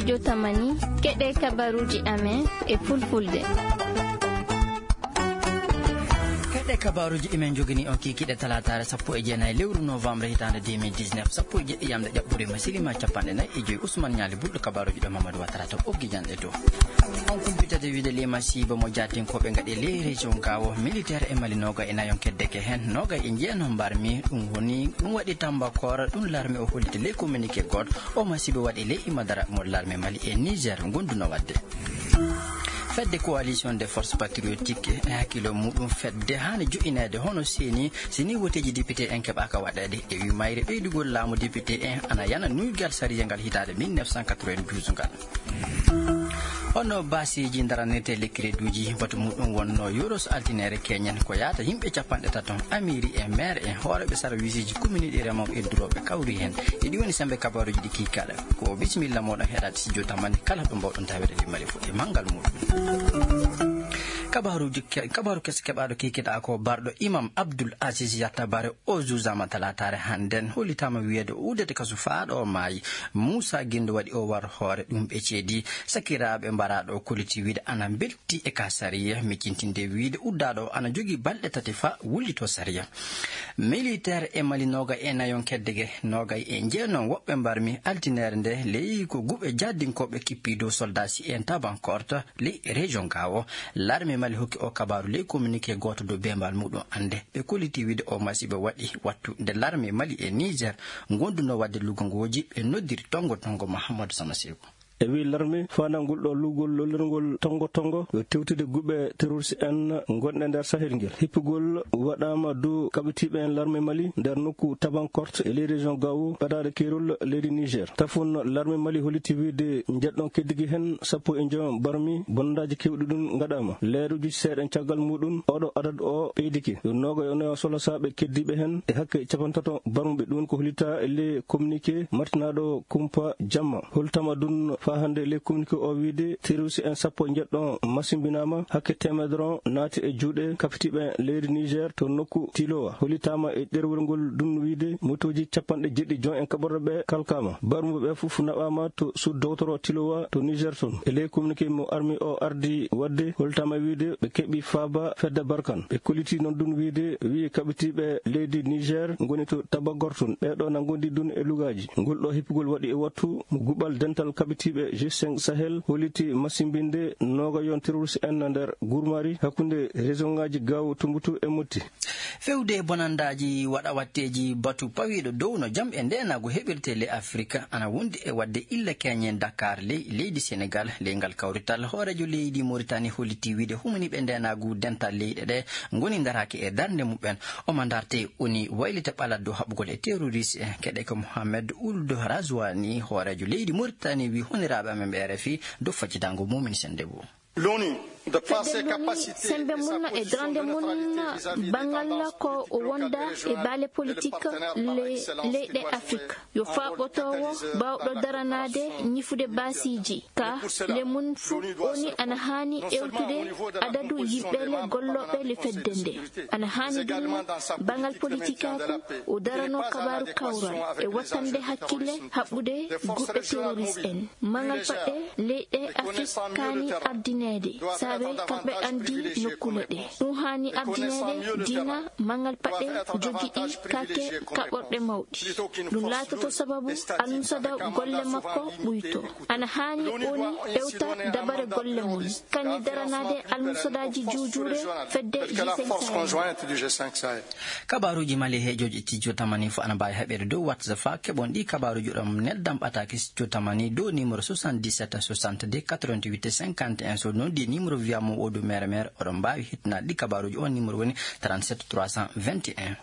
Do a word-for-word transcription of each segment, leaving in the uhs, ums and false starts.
Jotamani, keɗe kabaruji amen e fulfulde. Keɗe kabaruji emen jogini on kikiɗe talataare sappo e jeenayi lewru novembre hitaande deux mille dix-neuf, sappo e jeɗɗi yamde ƴaɓɓude ma silima capanɗe nayi e joyi. Usman Ñaali Bulɗo, kabaruji ɗo Mamadou Watara to ɓoggi janɗe dow. On kumpitade wiide lima siiba mo jaatinkoɓe ngaɗi ley région Gao, militaire e Mali noga e nayon keddeke hen, noga e jeeno mbarmi, ɗum woni, ɗum waɗi Tambakora, ɗum larme o holliti ley communiqué goto. O masiibo waɗi ley imadara mo larme Mali e Niger gonduno waɗde. Fedde coalition des forces patriotiques e hakkilo muɗum fedde haani joƴinaade hono seeni, si ni woteeji député en keɓaaka waɗeede. E wi mayre ɓeydugol laamu député en ana yana nuygal sariya ngal hitaande mille neuf cent quatre-vingt-douze ngal. Hono baasiiji ndaranirte lekkireeduuji, batu muɗum wonno yoros altineere keñen ko yaata yimɓe capanɗe tato, amiiri e maire en, hooreeɓe sarwiisiji kominiiji remooɓe e durooɓe kawri heen. E ɗi woni sembe kabaruuji ɗi kiikaɗa. Ko bisimilla moɗon heɗaade studio tamani kala ɗo mbawɗon tawede limmali fuɗɗi manngal muɗum. Kabaruuji ke-, kabaru kes-, keɓaaɗo kikiɗa ko barɗo Imam Abdul Aziz Yatta Bare o juuzama talataare hannden, hollitama wiyeede o uddete kasu faa ɗo maayi. Muusa Gindo waɗi o war hoore ɗum ɓe ceedi. Sakiraaɓe mbaraaɗo o kolliti wiide ana mbelti e ka sariya, miccintinde wiide uddaaɗo o ana jogii balɗe tati faa wullito sariya. Militaire e Mali noga e nayon keddege, noga e jeenon woɓɓe mbarmi altineere nde ley ko guɓe jaddinkooɓe kippi dow soldasi en Tabankorte ley région Gao. Larme Mali hokki o kabaru ley communiqué gooto dow bembal muɗum annde. Ɓe kolliti wiide o masiibo waɗi wattu nde larme Mali e Niger gonduno waɗde lugongooji ɓe noddiri tongo tongo Mahamadou Samaseku. E wi larme, fanangol ɗo lugol lollirgol tongo tongo, yo tewtude guɓe terroriste en gonɗe nder Sahel ngel. Hippugol waɗama dow kaɓitiiɓe en larme Mali nder nokku Tabankorte e ley région Gao, ɓadaade keerol leydi Niger. Tafon larme Mali holliti wiide njeɗɗon keddigi hen sappo e joom barmi, bonnandaaji kewɗi ɗum ngaɗama. Leeruji seeɗen caggal muɗum, oɗo adadu o ɓeydiki. Yo noga yo nayo solosaaɓe keddiiɓe hen e hakke capantato barmuɓe. Ɗum ko hollita e ley communiqué martinaɗo kumpa jamma. Holtama ɗum faa hannde ley communiqué o wiide terroriste en sappo e njeɗɗo masimbinaama, hakke teemedere on naati e juuɗe kapitiiɓe leydi Niger to nokku Tilowa. Hollitaama e ɗerwol ngol ɗum wiide motooji capanɗe jeɗɗi jon en kaɓorɗo ɓe kalkaama. Barmuɓe ɓe fof naɓaama to suud dowtoro Tilowa to Niger ton. E ley communiqué mo armi o ardi waɗde, holtama wiide ɓe keɓi faaba fedde Barkan. Ɓe kolliti noon ɗum wiide, wi kaɓitiiɓe leydi Niger ngoni to Tabagor ton. Ɓeeɗo na ngondi ɗum e lugaaji. Ngol ɗo hippugol waɗi e wattu mo guɓal dental kaɓitiiɓe G cinq Sahel holliti masimbinde nooga yon terroriste en na nder gurmari hakkunde région ngaji Gao, Tumbutu e Motti. Fewde e bonandaaji waɗa watteeji batu pawiiɗo dow no jam e ndeenaagu heɓirtee ley Afirka ana wondi e waɗde illa keñen Dakar ley leydi Senegal. Ley ngal kawrital, hooreejo leydi Moritani holliti wiide humaniiɓe ndeenaagu dental leyɗe ɗe ngoni ndaraaki e darnde muɓɓen. Omo ndarte oni waylita ɓalat dow haɓugol e terroriste en. Keɗe ko Mohamed Ould Razouani, hooreejo leydi Moritani, wi honiraaɓe amen ɓe R F I dow faccitango Momin Sendebo. Fedde loni sembe mum e darnde mum banngal ko o wonda e baale politik le-, leyɗe Afrik. Yo faaɓotoowo baawɗo daranaade ñifude baasiiji ka le mum fof oni ana haani ewtude adadu yimɓe le gollooɓe le fedde nde. Ana haani ɗum banngal politikaaku o darano kabaaru kawral e wattande hakkille haɓɓude guɓɓe terroriste en. Mangal paɗɗe leyɗe Afrik kaani ardineede, saabe kamɓe anndi nokkule ɗe. Ɗum haani ardineede diina mangal paɗɗe jogiɗi kaake kaɓorɗe mawɗi. Ɗum laatoto sababu almusada golle makko ɓuyto. Ana haani oni ewta dabare golle mum, kañum daranaade almusadaaji juujuure fedde G cinq Sahel. Kabaruuji Mali he joji tijjo tamani fof ana mbaawi heɓeede dow WhatsApp. Keɓon ɗi kabaruuji ɗon neldam ɓataake tijjo tamani dow numéro soixante-dix-sept soixante-deux quatre-vingt-huit cinquante et un. So noon di numéro wiyamo o dow mere mere, oɗon mbaawi hettinaade ɗi kabaruuji. On numéro woni trente-sept trois cent vingt et un.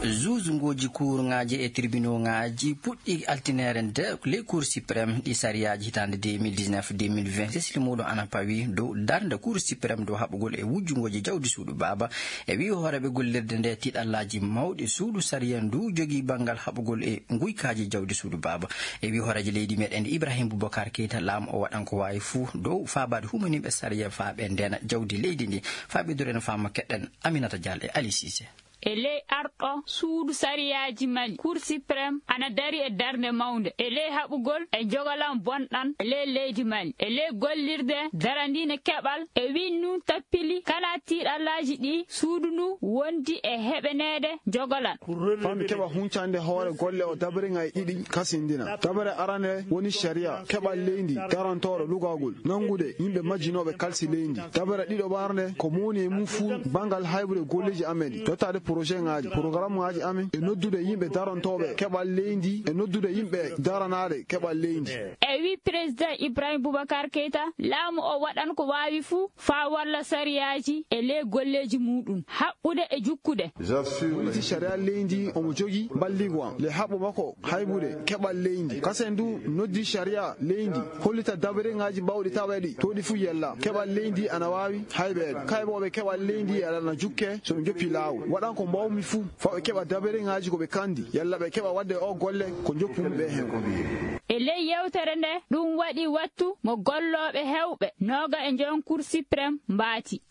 Juge ngooji kuurŋaaji e tribunal ŋaaji puɗɗi altineere nde ley Cour suprême ɗi sariyaaji hitaande deux mille dix-neuf deux mille vingt. Sesli muuɗum ana pawi dow darnde Cour suprême dow haɓugol e wujjungooji jawdi suudu baaba. E wi'i hooreeɓe gollirde nde tiiɗallaaji mawɗi suudu sariya ndu jogii banngal haɓugol e nguykaaji jawdi suudu baaba. E wi'i hooreejo leydi meɗen Ibrahim Boubacar Keita, laamu o waɗan ko waawi fuu dow faabaade humaniiɓe sariya faa ɓe ndeena jawdi leydi ndi. Faa ɓeyduren faamu keɗen Aminata Diallo e Ali Cissé. e ley arɗo suudu sariyaaji Mali, Cour suprême, ana dari e darnde mawnde e ley haɓugol e jogolan bonɗan e ley leydi Mali, e ley gollirde daraniinde keɓal. E winnun tappili kala tiiɗallaaji ɗi suudu ndu wondi e heɓeneede jogolan. Fami keɓa huncande hoore golle o dabare ŋaaji ɗiɗi kasindina. Dabare arande woni sariya keɓal leydi darantooɗo lugagol nanngude yimɓe majjinooɓe kalsi leydi. Dabare ɗiɗo ɓarnde ko mowni e mum fuu banngal haybude golleeji amen ɗi, tottaade projet ŋaaji, programme ŋaaji amen e noddude yimɓe darantooɓe keɓal leydi e noddude yimɓe daranaaɗe keɓal leydi. E wi Président Ibrahim Boubacar Keita, laamu o waɗan ko waawi fuu faa walla sariyaaji e ley golleeji muuɗum, haɓɓude e jukkude. Wonti sariya leydi omo jogi balligo am le haɓɓo makko haybude keɓal leydi. Kasen du noddi sariya leydi hollita dabareŋaaji bawɗi taweɗi to ɗi fuu yella. Keɓal leydi ana waawi haybeede. Kaybooɓe keɓal leydi aɗana jukke so ɓe joppi laawol. Waɗan ko mbawmi fuu faa ɓe keɓa dabareŋaaji ko ɓe kandi yalla ɓe keɓa waɗde o golle ko joppu mum ɓe heen. E ley yewtere nde, ɗum waɗi wattu mo gollooɓe heewɓe nooga e njon Cour suprême mbaati.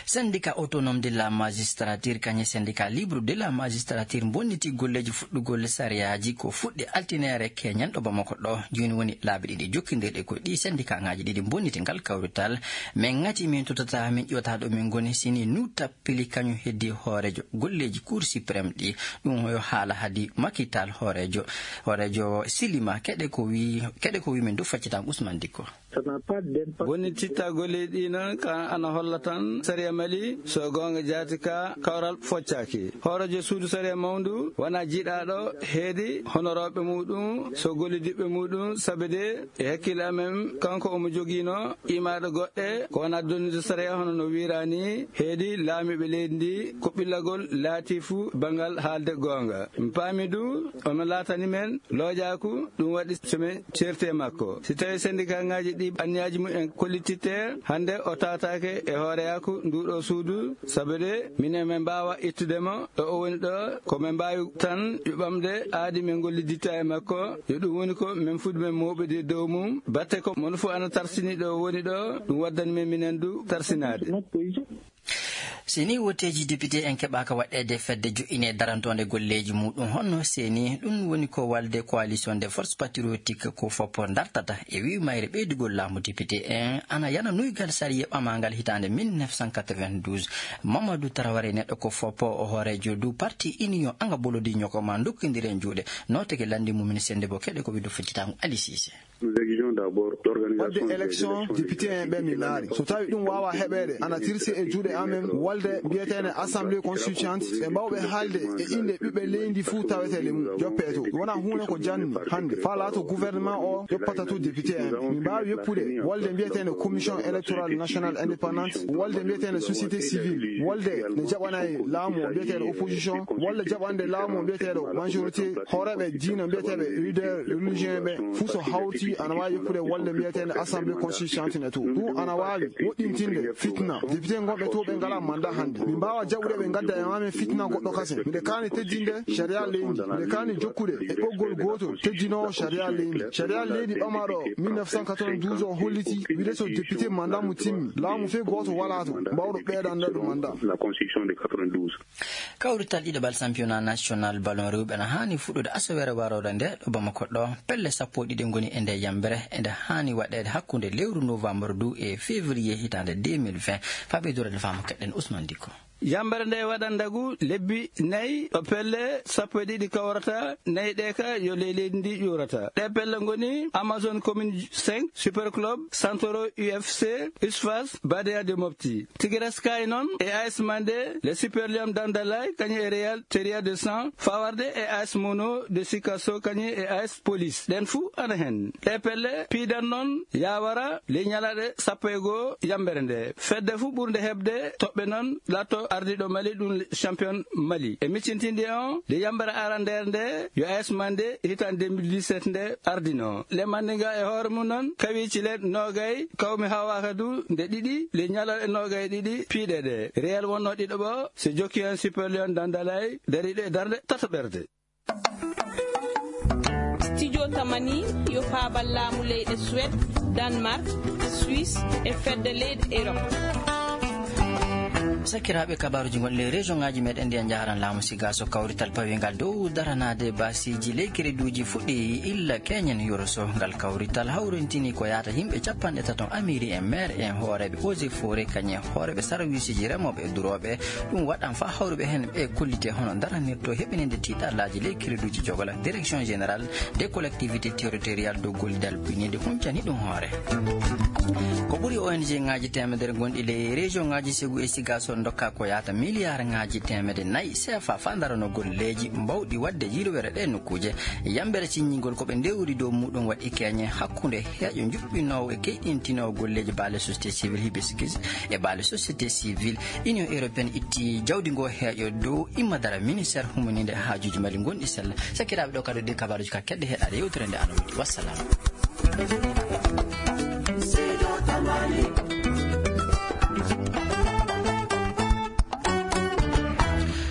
Syndicat autonome de la magistrature kañum syndicat libre de la magistrature bonniti golleeji fuɗɗugol sariyaaji ko fuɗɗi altineere keñen ɗo Bamako ɗo. Jooni woni laabi ɗiɗi jokkindirɗi ko ɗi syndicat ŋaaji ɗiɗi bonniti ngal kawrital. Min ŋati min totata min ƴewta ɗo min ngoni sini nu tappili kañum heddi hooreejo golleeji Cour suprême ɗi. Ɗum yo haala hadi makital hooreejo, hooreejo Silima keɗe ko wi, keɗe ko wi min du faccitam Ousmane Dikko. Woni titta golleeji ɗi noon ka ana holla tan sariya Mali so goonga jaati ka kawral foccaaki. Hooreejo suudu sariya mawndu wona jiiɗaaɗo heedi honorooɓe muɗum so gollidiɓɓe muɗum sabe de e hakkille amen kanko omo jogiino imaaɗo goɗɗe ko wona donnude sariya hono no wiiraani heedi laamiiɓe leydi ndi ko ɓillagol laati fuu banngal haalde goonga. Mi paami du ono laatani men loojaaku ɗum waɗi so min ceerti e makko. Si tawii sendikaaŋaaji ɗi anniyaaji mum en kollititte hannde o tawataake e hooreyaaku nduuɗo suudu sabu de minen min mbaawa ittude mo ɗo o woni ɗo ko min mbaawi tan yuɓamde aadi min ngolliditta e makko yo ɗum woni ko min fuɗi men mooɓude dow mum batte ko mono fof ana tarsini ɗo o woni ɗo ɗum waddani men minen du tarsinaade. Si nii wotteeji député en keɓaaka waɗɗeede fedde joƴƴine darantoonde golleeji muuɗum honno seeni ɗum woni ko walde coalition de force patriotique ko foppo dartata e wii mayre ɓeydugol laamu député en ana yana nuygal sariya ɓamaangal hitaande mille neuf cent quatre-vingt-douze. Mamadou Traoré neɗɗo ko foppo o hooreejo du parti union anga bolodi ñoko ma dokkindiren juuɗe nooteke lanndi mumen sennde bo keɗe ko wiɗo feccitaango Ali Cissé. Wadde élection député en ɓe min naari so tawi ɗum wawa heɓeede ana tirsi e juuɗe amen walde mbiyeteene assemblée constituante ɓe mbawɓe haalde e innde ɓiɓɓe leydi fuu tawetele mum joppe to wona huunde ko janni hannde faa laato gouvernement o yoppata to député en min mbaawi yoppude walde mbiyeteene commission électorale nationale indépendante walde mbiyeteene société civile walde ne jaɓanay laamu o mbiyeteeɗo opposition walla jaɓande laamu o mbiyeteeɗo majorité hooreeɓe diina mbiyeteeɓe leader religion ɓe fuu so hawti ana waawi yoppude walde mbiyeteende assemblée constituante ne to ɗum ana waawi woɗɗintinde fitna député gonɓe to ɓe ngala mandat hannde min mbaawa jaɓude ɓe ngadda e mamen fitna goɗɗo kasen miɗe kaani teddinde sharia leydi miɗe kaani jokkude e ɓoggol gootol teddinoowo sharia leydi sharia leydi ɓamaaɗo mille neuf cent quatre-vingt-douze o holliti wide so député mandat mo timmi laamu fee gooto walaa to mbawɗo ɓeydande ɗum mandat. Kawrital ɗiɗaɓal championnat national ballon rewɓe na haani fuɗɗude asaweere warooɗo nde ɗo Bamako ɗo. Pelle sappo e ɗiɗi ngoni e nde yambere, e nde haani waɗeede hakkunde lewru novembre du e février hitaande deux mille vingt. Faa ɓeydude faamu keɗen Ousmane Dicko. Yambere nde waɗan ndagu lebbi nayi ɗo pelle sappo e ɗiɗi kawrata, nayi ɗe ka yo ley leydi ndi ƴuurata. Ɗe pelle ngoni Amazon Commune cinq, Super Club, Santoro U F C, Usfas, Badia de Mopti. Tigres Sky noon e A S Mandé, le Super Lion Dandalay, kañum e Real Teria de San, fawarde e A S Mono de Sikasso, kañum e A S Police. Ɗen fuu ana hen. Ɗe pelle piidan noon yawara ley ñalaɗe sappo e goo yambere nde. Fedde fuu ɓurnde heɓde toɓɓe noon latto ardiɗo Mali, ɗum champion Mali. E miccintinde on, nde yambere arandeere nde, yo A S Mandé hitan deux mille dix-sept nde ardino. Le Mandinga e hoore mum noon, kawici le nogay, kawmi hawaka du nde ɗiɗi, le ñalal e nogay e ɗiɗi piiɗe ɗe. Real wonno ɗiɗo ɓo, so jokki hen Super Lion Dandalay, dariɗo e darnde tataɓerde. Studio Tamani yo faabal laamu leyɗe Suède, Danemark, Suisse e fedde leyɗe Europe. Sakiraaɓe, kabaaruuji gonɗi ley région ŋaaji meɗen ɗi en njaharan laamu siga so kawrital pawiingal dow daranaade baasiiji ley crédit uji fuɗɗi illa keñen yoro so. Ngal kawrital hawrintini ko yaata yimɓe capanɗe tato, amiiri en, maire en, hooreeɓe eaux et forêt, kañum e hooreeɓe sarwiisiji remooɓe e durooɓe. Ɗum waɗan faa hawruɓe heen ɓe kollite hono daranirto heɓininde tiiɗallaaji ley crédit uji jogola. Direction générale des collectivités territoriales dow gollidal biniinde huncani ɗum hoore. Ko ɓuri O N G ŋaaji teemedere gonɗi ley région ŋaaji Ségou e Ziguinchor ndokka ko yaata miliyaar ŋaaji teemedde nayi C F A faa ndarano golleeji mbawɗi waɗde yirwere ɗee nokkuuje. Yambere siññingol ko ɓe ndewri dow muɗum waɗi keñe hakkunde heeƴo njuɓɓinoowo e keyɗintinoowo golleeji baale société civile Hibiscus e baale société civile. Union européenne itti jawdi ngoo heeƴo dow imma dara ministère humaninde haajuuji Mali gonɗi sella. Sakiraaɓe, ɗo kadi ɗi kabaaruuji ka kedde heɗaade yewtere nde ano waɗi. Wassalam.